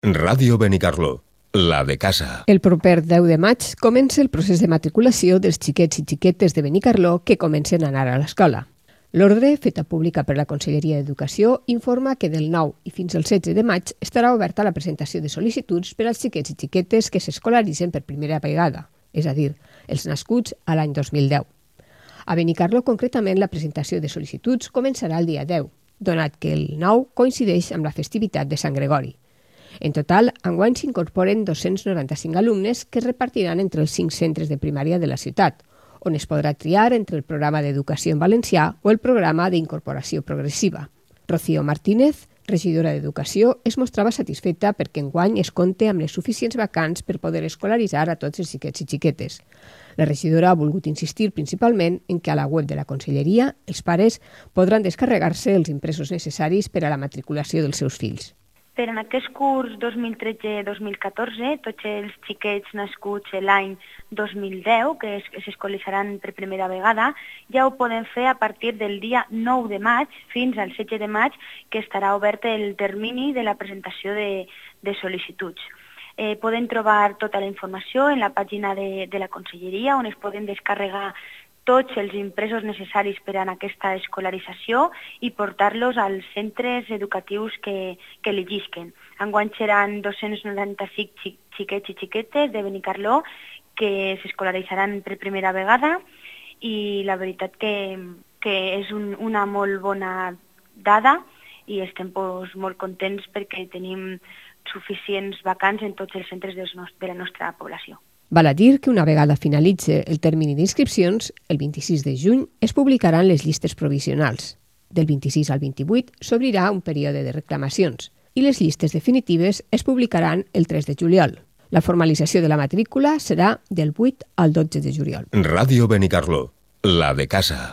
Ràdio Benicarló, la de casa. El proper 10 de maig comença el procés de matriculació dels xiquets i xiquetes de Benicarló que comencen a anar a l'escola. L'ordre, feta pública per la Conselleria d'Educació, informa que del 9 i fins al 16 de maig estarà oberta la presentació de sol·licituds per als xiquets i xiquetes que s'escolaritzen per primera vegada, és a dir, els nascuts a l'any 2010. A Benicarló, concretament, la presentació de sol·licituds començarà el dia 10, donat que el 9 coincideix amb la festivitat de Sant Gregori. En total, enguany s'incorporen 295 alumnes que es repartiran entre els 5 centres de primària de la ciutat, on es podrà triar entre el programa d'educació en valencià o el programa d'incorporació progressiva. Rocío Martínez, regidora d'Educació, es mostrava satisfeta perquè enguany es compte amb les suficients vacants per poder escolaritzar a tots els xiquets i xiquetes. La regidora ha volgut insistir principalment en que a la web de la Conselleria els pares podran descarregar-se els impresos necessaris per a la matriculació dels seus fills. Per en aquest curs 2013-2014, tots els xiquets nascuts l'any 2010, que s'escolaritzaran per primera vegada, ja ho poden fer a partir del dia 9 de maig fins al 16 de maig, que estarà obert el termini de la presentació de sol·licituds. Poden trobar tota la informació en la pàgina de la Conselleria, on es poden descarregar tots els impresos necessaris per a aquesta escolarització i portar-los als centres educatius que elegisquen. Enguany seran 295 xiquets i xiquetes de Benicarló que s'escolaritzaran per primera vegada i la veritat que és una molt bona dada i estem molt contents perquè tenim suficients vacants en tots els centres de la nostra població. Val a dir que una vegada finalitze el termini d'inscripcions, el 26 de juny es publicaran les llistes provisionals. Del 26 al 28 s'obrirà un període de reclamacions i les llistes definitives es publicaran el 3 de juliol. La formalització de la matrícula serà del 8 al 12 de juliol. Ràdio Benicarló, la de casa.